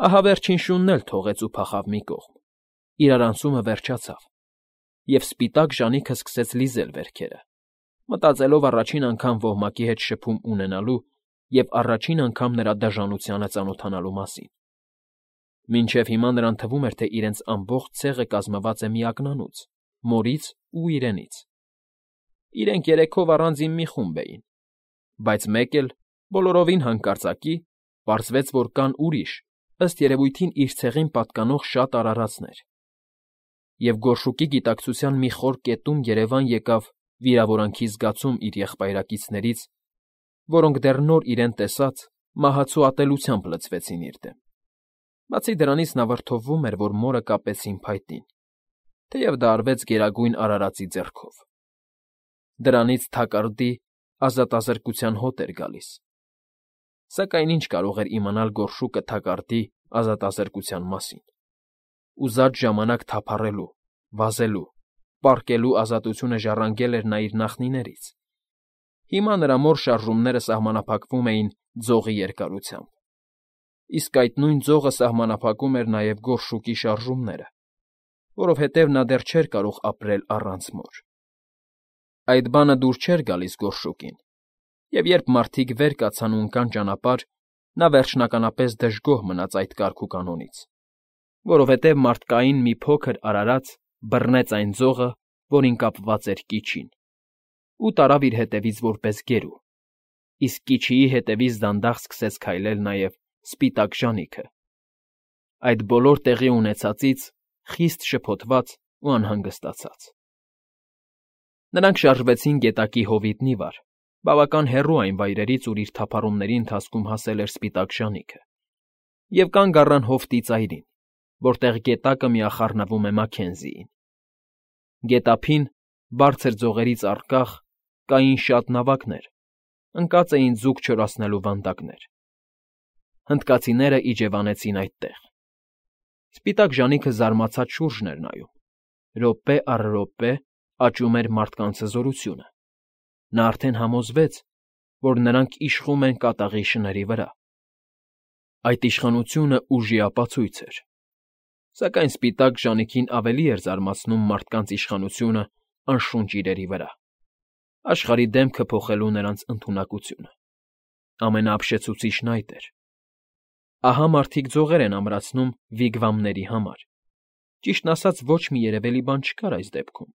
Ահա վերջին շունն էլ թողեց ու փախավ մի կողմ, իրարանցումը վերջացավ, և սպիտակ ժանիքը սկսեց լիզել վերքերը, մտածելով առաջին անգամ ոհմակի հետ շփում ունենալու և առաջին անգամ նրա դաժանությանը ծանոթանալու մասին. մինչև հիմա նրան թվում էր, թե իրենց ամբողջ ցեղը կազմված է մի ակնանուց՝ մորից ու իրենից. իրենք երեքով առանձին մի խումբ էին, բայց մեկ էլ, բոլորովին հանկարծակի, պարզվեց, որ կան ուրիշ, ըստ երևույթին իր ցեղին պատկանող շատ արարածներ, և գորշուկի գիտակցության մի խոր կետում երևան եկավ վիրավորանքի զգացում իր եղբայրակիցներից, որոնք դեռ նոր իրեն տեսած մահացու ատելությամբ լցվեցին իր դեմ. բացի դրանից նա վրդովվում էր, որ մորը կապեցին փայտին, թեև դա արվեց Գերագույն Արարածի ձեռքով. դրանից թակարդի ազատազրկության հոտ էր գալիս, սակայն ինչ կարող էր իմանալ գորշուկը թակարդի ազատազրկության մասին. ուզած ժամանակ թափառելու, վազելու, պառկելու ազատությունը ժառանգել էր նա իր նախնիներից, հիմա նրա մոր շարժումները սահմանափակվում էին ձողի երկարությամբ, իսկ այդ նույն ձողը սահմանափակում էր նաև գորշուկի շարժումները, որովհետև նա դեռ չէր կարող ապրել առանց մոր. Այդ բանը դուր չէր գալիս գորշուկին, և երբ մարդիկ վեր կացան ու ընկան ճանապարհ, նա վերջնականապես դժգոհ մնաց այդ կարգուկանոնից, որովհետև մարդկային մի փոքր արարած բռնեց այն ձողը, որին կապված էր կիչին, ու տարավ իր հետևից որպես գերու, իսկ կիչիի հետևից դանդաղ սկսեց քայլել նաև սպիտակ ժանիքը, այդ բոլոր տեղի ունեցածից խիստ շփոթված ու անհանգստացած. Նրանք շարժվեցին գետակի հովիտնի վար, բավական հեռու այն վայրերից, ուր իր թափառումների ընթացքում հասել էր սպիտակ ժանիքը, և կանգ առան հովտի ծայրին, որտեղ գետակը միախառնվում է Մաքքենզիին. գետափին, բարձր ձողերից առկախ, կային շատ նավակներ, ընկած էին ձուկ չորացնելու վանդակներ. հնդկացիները իջևանեցին այդտեղ. սպիտակ ժանիքը զարմացած շուրջն էր նայում, րոպե առ րոպե աճում էր մարդկանց հզորությունը, նա արդեն համոզվեց, որ նրանք իշխում են կատաղի շների վրա. այդ իշխանությունը ուժի ապացույց էր, սակայն սպիտակ ժանիքին ավելի էր զարմացնում մարդկանց իշխանությունը անշունչ իրերի վրա, աշխարհի դեմքը փոխելու նրանց ընդունակությունը, ամենաապշեցուցիչն այդ էր. ահա մարդիկ ձողեր են ամրացնում վիգվամների համար, ճիշտն ասած ոչ մի երևելի բան չկար այս դեպքում,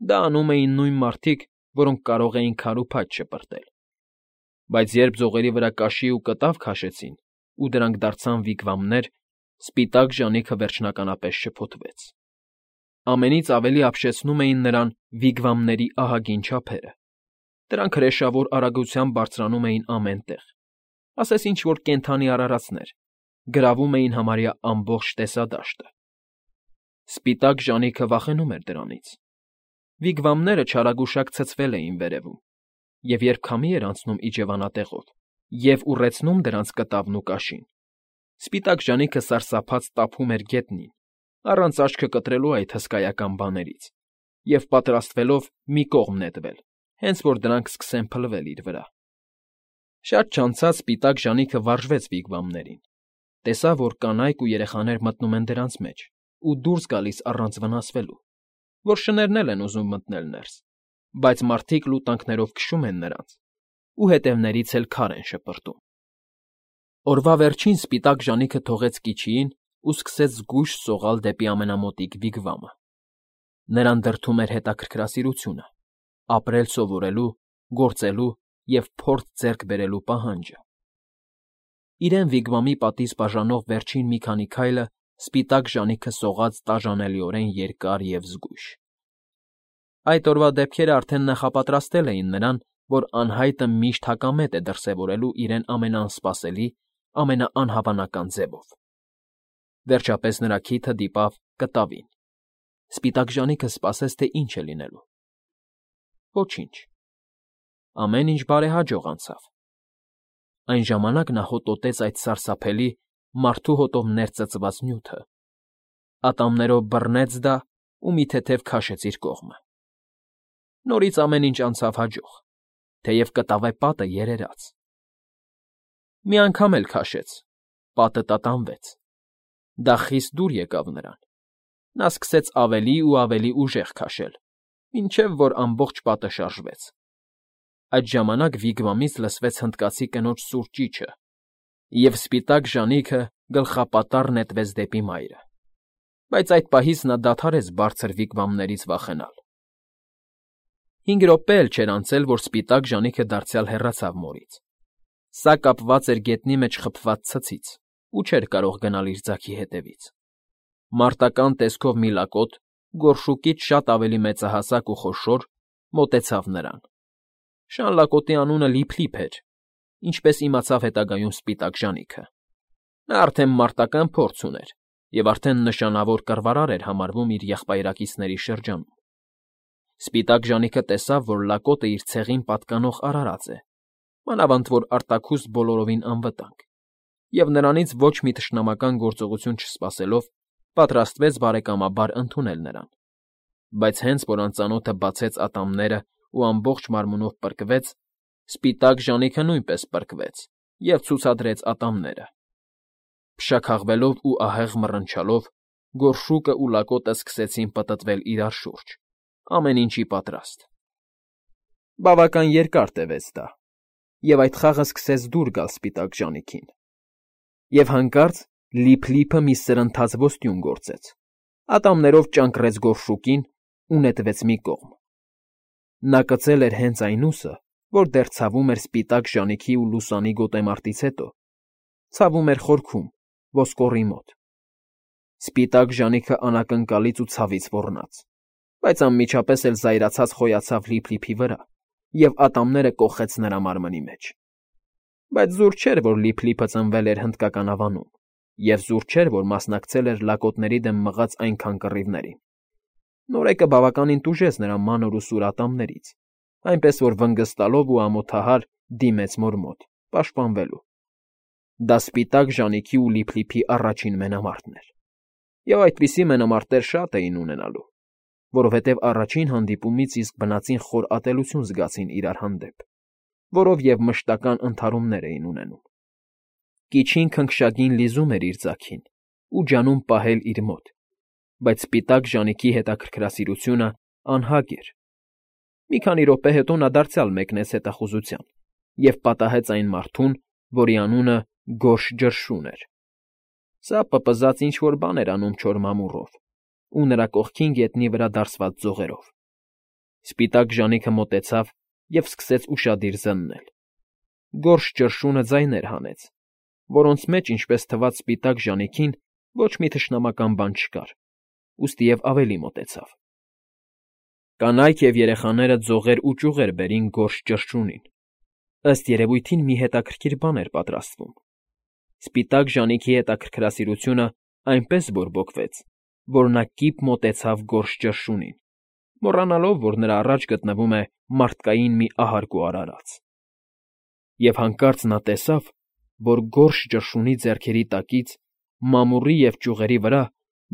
դա անում էին նույն մարդիկ, որոնք կարող էին քար ու փայտ շպրտել, բայց երբ ձողերի վրա կաշի ու կտավ քաշեցին ու դրանք դարձան վիգվամներ, սպիտակ ժանիքը վերջնականապես շփոթվեց. ամենից ավելի ապշեցնում էին նրան վիգվամների ահագին չափերը, դրանք հրեշավոր արագությամբ բարձրանում էին ամեն տեղ, ասես ինչ֊որ կենդանի արարածներ, գրավում էին համարյա ամբողջ տեսադաշտը. սպիտակ ժանիքը վախենում էր դրանից. վիգվամները չարագուշակ ցցվել էին վերևում, և երբ քամի էր անցնում իջևանատեղով և ուռեցնում դրանց կտավն ու կաշին, սպիտակ ժանիքը սարսափած տափում էր գետնին, առանց աչքը կտրելու այդ հսկայական բաներից, և պատրաստվելով մի կողմ նետվել, հենց որ դրանք սկսեն փլվել իր վրա. շատ չանցած սպիտակ ժանիքը վարժվեց վիգվամներին, տեսավ, որ կանայք ու երեխաներ մտնում են դրանց մեջ ու դուրս գալիս առանց վնասվելու, որ շներն էլ են ուզում մտնել ներս, բայց մարդիկ լուտանքներով քշում են նրանց ու հետևներից էլ քար են շպրտում. օրվա վերջին սպիտակ ժանիքը թողեց կիչիին ու սկսեց զգույշ սողալ դեպի ամենամոտիկ վիգվամը. նրան դրդում էր հետաքրքրասիրությունը, ապրել սովորելու, գործելու և փորձ ձեռք բերելու պահանջը. իրեն վիգվամի պատից բաժանող վերջին մի քանի քայլը սպիտակ ժանիքը սողաց տաժանելիորեն երկար և զգույշ. այդ օրվա դեպքերը արդեն նախապատրաստել էին նրան, որ անհայտը միշտ հակամետ է դրսևորելու իրեն ամենաանսպասելի, ամենաանհավանական ձևով. վերջապես նրա քիթը դիպավ կտավին. սպիտակ ժանիքը սպասեց, թե ինչ է լինելու. ոչինչ. ամեն ինչ բարեհաջող անցավ. այն ժամանակ նա հոտոտեց այդ սարսափելի, մարդու հոտով ներծծված նյութը, ատամներով բռնեց դա ու մի թեթև քաշեց իր կողմը. նորից ամեն ինչ անցավ հաջող, թեև կտավե պատը երերաց. Մի անգամ էլ քաշեց, պատը տատանվեց։ Դա խիստ դուր եկավ նրան։ Նա սկսեց ավելի ու ավելի ուժեղ քաշել, մինչև որ ամբողջ պատը շարժվեց։ Այդ ժամանակ Վիգվամից լսվեց հնդկացի կնոջ սուր ճիչը, և սպիտակ ժանիքը գլխապատառ նետվեց դեպի մայրը։ Բայց այդ պահից նա դադարեց բարձր վիգվամներից վախենալ։ 5 րոպե էլ չէր անցել, որ սպիտակ ժանիքը դարձյալ հեռացավ մորից։ Սա կապված էր գետնի մեջ խփված ցցից ու չէր կարող գնալ իր ձագի հետևից։ Մարտական տեսքով մի լակոտ, գորշուկից շատ ավելի մեծահասակ ու խոշոր, մոտեցավ նրան։ Շան լակոտի անունը Լիփլիփ էր, ինչպես իմացավ հետագայում սպիտակ ժանիքը։ Նա արդեն մարտական փորձ ուներ և արդեն նշանավոր կռվարար էր համարվում իր եղբայրակիցների շրջանում։ Սպիտակ ժանիքը տեսավ, որ լակոտը իր ցեղին պատկանող արարած է, մանավանդ որ արտաքուստ բոլորովին անվտանգ, և նրանից ոչ մի թշնամական գործողություն չսպասելով, պատրաստվեց բարեկամաբար ընդունել նրան։ Բայց հենց որ անծանոթը բացեց ատամներն ու ամբողջ մարմնով պրկվեց, սպիտակ ժանիքը նույնպես պրկվեց և ցուցադրեց ատամները։ Փշաքաղվելով ու ահեղ մռնչալով, գորշուկը ու լակոտը սկսեցին պտտվել իրար շուրջ, ամեն ինչի պատրաստ։ Բավական երկար տևեց դա, և այդ խաղը սկսեց դուր գալ սպիտակ ժանիքին։ Եվ հանկարծ Լիփլիփը մի սրընթաց ոստյուն գործեց, ատամներով ճանկռեց գորշուկին ու նետվեց մի կողմ։ Նա կծել էր հենց այն ուսը, որ դեռ ցավում էր սպիտակ ժանիքի ու լուսանի գոտեմարտից հետո, ցավում էր խորքում, ոսկորի մոտ։ Սպիտակ ժանիքը անակնկալից ու ցավից ոռնաց, բայց անմիջապես էլ զայրացած խոյացավ Լիփլիփի վրա և ատամները կոխեց նրա մարմնի մեջ։ Բայց զուր չէր, որ Լիփլիփը ծնվել էր հնդկական ավանում, և զուր չէր, որ մասնակցել էր լակոտների դեմ մղած այնքան կռիվներին։ Նորեկը բավականին տուժեց նրա մանր ու սուր ատամներից, այնպես որ վնգստալով ու ամոթահար դիմեց մոր մոտ, պաշտպանվելու։ Դա սպիտակ ժանիքի ու Լիփլիփի առաջին մենամարտն էր, և այդպիսի մենամարտեր շատ էին ունենալու, որովհետև առաջին հանդիպումից իսկ բնածին խոր ատելություն զգացին իրար հանդեպ, որով և մշտական ընդհարումներ էին ունենում։ Կիչին քնքշագին լիզում էր իր ձագին ու ջանում պահել իր մոտ, բայց սպիտակ ժանիքի հետաքրքրասիրությունը անհագ էր։ Մի քանի րոպե հետո նա դարձյալ մեկնեց հետախուզության և պատահեց այն մարդուն, որի անունը Գորշ Ջրշուն էր։ Սա պպզած ինչ֊որ բան էր անում չոր մամուռով ու նրա կողքին գետնի վրա դարսված ձողերով։ Սպիտակ ժանիքը մոտեցավ և սկսեց ուշադիր զննել։ Գորշ Ջրշունը ձայներ հանեց, որոնց մեջ, ինչպես թվաց սպիտակ ժանիքին, ոչ մի թշնամական բան չկար, ուստի և ավելի մոտեցավ։ Կանայք և երեխաները ձողեր ու ճյուղեր բերին Գորշ Ջրշունին։ Ըստ երևույթին մի հետաքրքիր բան էր պատրաստվում։ Սպիտակ ժանիքի հետաքրքրասիրությունը այնպես բորբոքվեց, որ նա կիպ մոտեցավ Գորշ Ջրշունին, մոռանալով, որ նրա առաջ գտնվում է մարդկային մի ահարկ ու արարած։ Եվ հանկարծ նա տեսավ, որ Գորշ Ջրշունի ձեռքերի տակից, մամուռի և ճյուղերի վրա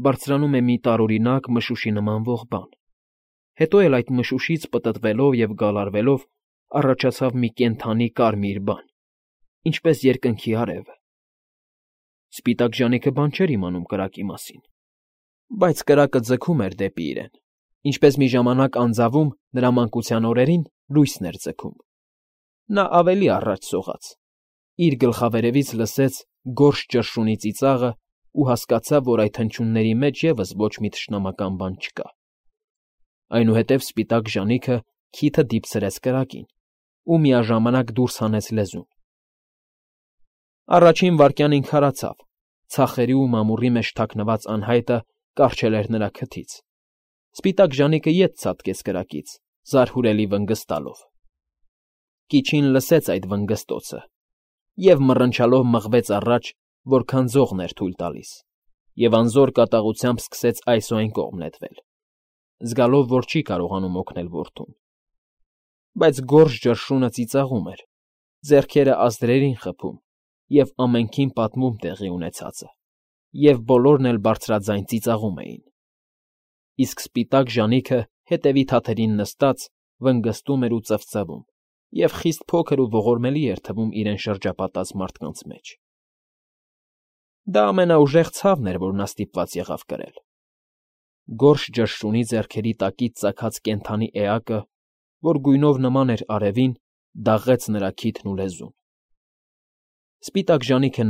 բարձրանում է մի տարօրինակ մշուշի նմանվող բան։ Հետո էլ այդ մշուշից պտտվելով և գալարվելով առաջացավ մի կենդանի կարմիր բան, ինչպես երկնքի արևը։ Սպիտակ ժանիքը բան չէր իմանում կրակի մասին, բայց կրակը ձգում էր դեպի իրեն, ինչպես մի ժամանակ անձավում նրա մանկության օրերին լույսն էր ձգում։ Նա ավելի առաջ սողաց, իր գլխավերևից լսեց Գորշ Ջրշունի ծիծաղը ու հասկացավ, որ այդ հնչյունների մեջ ևս ոչ մի թշնամական բան չկա։ Այնուհետև սպիտակ ժանիքը քիթը դիպցրեց կրակին ու միաժամանակ դուրս հանեց լեզուն։ Առաջին վայրկյանին քարացավ, ցախերի ու մամուռի մեջ թաքնված անհայտը կառչել էր նրա քթից։ Սպիտակ ժանիքը ետ ցատկեց կրակից, զարհուրելի վնգստալով։ Կիչին լսեց այդ վնգստոցը և մռնչալով մղվեց առաջ, որքան ձողն էր թույլ տալիս, և անզոր կատաղությամբ սկսեց այս ու այն կողմ նետվել, զգալով, որ չի կարողանում օգնել որդուն։ Բայց Գորշ Ջրշունը ծիծաղում էր, ձեռքերը ազդրերին խփում և ամենքին պատմում տեղի ունեցածը, և բոլորն էլ բարձրաձայն ծիծաղում էին։ Իսկ սպիտակ ժանիքը հետևի թաթերին նստած վնգստում էր ու ծվծվում և խիստ փոքր ու ողորմելի էր թվում իրեն շրջապատած մարդկանց մեջ։ Դա ամենաուժեղ ցավն էր, որ նա ստիպված եղավ կրել։ Գորշ ճշշունի ձեռքերի տակից ծագած կենդանի էակը, որ գույնով նման էր արևին, դաղեց նրա քիթն ու լեզուն։ Սպիտակ ժանիքը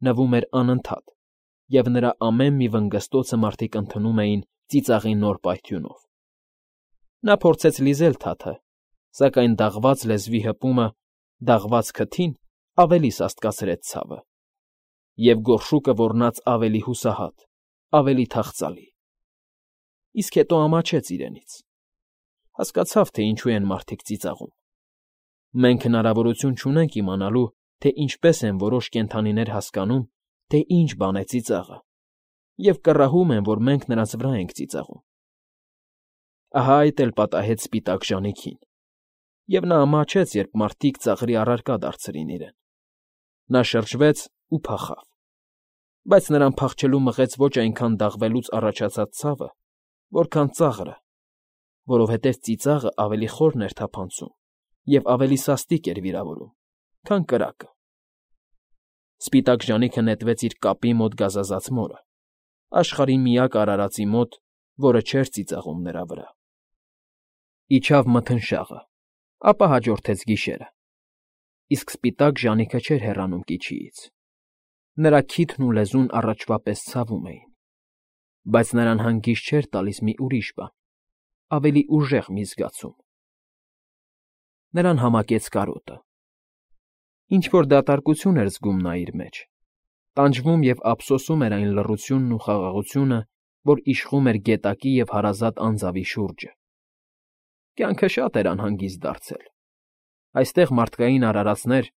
նվում էր անընդհատ, և նրա ամեն մի վնգստոցը մարդիկ ընդունում էին ծիծաղի նոր պայթյունով։ Նա փորձեց լիզել թաթը, սակայն դաղված լեզվի հպումը դաղված քթին ավելի սաստկացրեց ցավը, և գորշուկը ոռնաց ավելի հուսահատ, ավելի թախծալի։ Իսկ հետո ամաչեց իրենից։ Հասկացավ, թե ինչու են մարդիկ ծիծաղում։ Մենք հնարավորություն չունենք իմանալու, թե ինչպես են որոշ կենդանիներ հասկանում, թե ինչ բան է ծիծաղը, և կռահում են, որ մենք նրանց վրա ենք ծիծաղում։ Ահա այդ էլ պատահեց սպիտակ ժանիքին, և նա ամաչեց, երբ մարդիկ ծաղրի առարկա դարձրին իրեն։ Նա շրջվեց ու փախավ, բայց նրան փախչելու մղեց ոչ այնքան դաղվելուց առաջացած ցավը, որքան ծաղրը, որովհետև ծիծաղը ավելի խորն էր թափանցում և ավելի սաստիկ էր վիրավորում, քան կրակը։ Սպիտակ ժանիքը նետվեց իր կապի մոտ գազազած մորը, աշխարհի միակ արարածի մոտ, որը չէր ծիծաղում նրա վրա։ Իջավ մթնշաղը, ապա հաջորդեց գիշերը, իսկ սպիտակ ժանիքը չէր հեռանում կիչիից։ Նրա քիթն ու լեզուն առաջվա պես ցավում էին, բայց նրան հանգիստ չէր տալիս մի ուրիշ բան, ավելի ուժեղ մի զգացում։ Նրան համակեց կարոտը։ Ինչ֊որ դատարկություն էր զգում նա իր մեջ, տանջվում և ափսոսում էր այն լռությունն ու խաղաղությունը, որ իշխում էր գետակի և հարազատ անձավի շուրջը։ Կյանքը շատ էր անհանգիստ դարձել։ Այստեղ մարդկային արարածներ,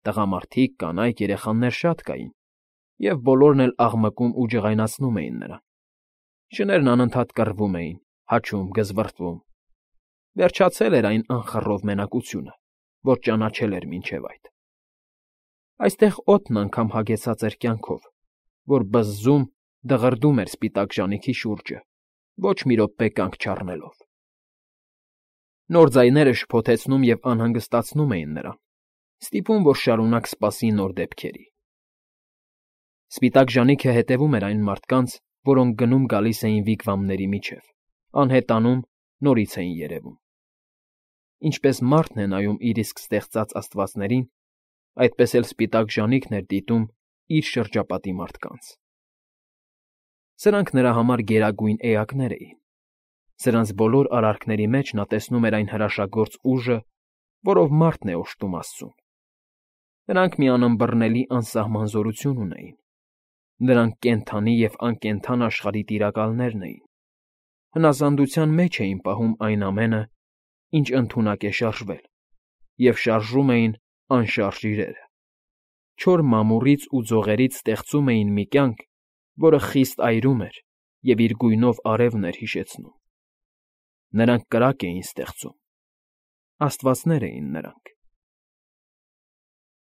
տղամարդիկ, կանայք, երեխաներ շատ կային, և բոլորն էլ աղմկում ու ջղայնացնում էին նրան։ Շներն անընդհատ կռվում էին, հաչում, գզվռտվում։ Վերջացել էր այն անխռով մենակությունը, որ ճանաչել էր մինչև այդ։ Այստեղ օդն անգամ հագեցած էր կյանքով, որ բզզում, դղրդում էր սպիտակ ժանիքի շուրջը, ոչ մի րոպե կանգ չառնելով։ Նոր ձայները շփոթեցնում և անհանգստացնում էին նրան, ստիպում, որ շարունակ սպասի նոր դեպքերի։ Սպիտակ ժանիքը հետևում էր այն մարդկանց, որոնք գնում֊գալիս էին վիգվամների միջև, անհետանում, նորից էին երևում։ Ինչպես մարդն է նայում իր իսկ ստեղծած աստվածներին, այդպես էլ սպիտակ ժանիքն էր դիտում իր շրջապատի մարդկանց։ Սրանք նրա համար գերագույն էակներ էին։ Սրանց բոլոր արարքների մեջ նա տեսնում էր այն հրաշագործ ուժը, որով մարդն է օժտում աստծուն։ Նրանք մի անըմբռնելի անսահման զորություն ունեին։ Նրանք կենդանի և անկենդան աշխարհի տիրակալներն էին։ Հնազանդության մեջ էին պահում այն ամենը, ինչ ընդունակ է շարժվել, և շարժում էին անշարժ իրերը։ Չոր մամուռից ու ձողերից ստեղծում էին մի կյանք, որը խիստ այրում էր և իր գույնով արևն էր հիշեցնում։ Նրանք կրակ էին ստեղծում։ Աստվածներ էին նրանք։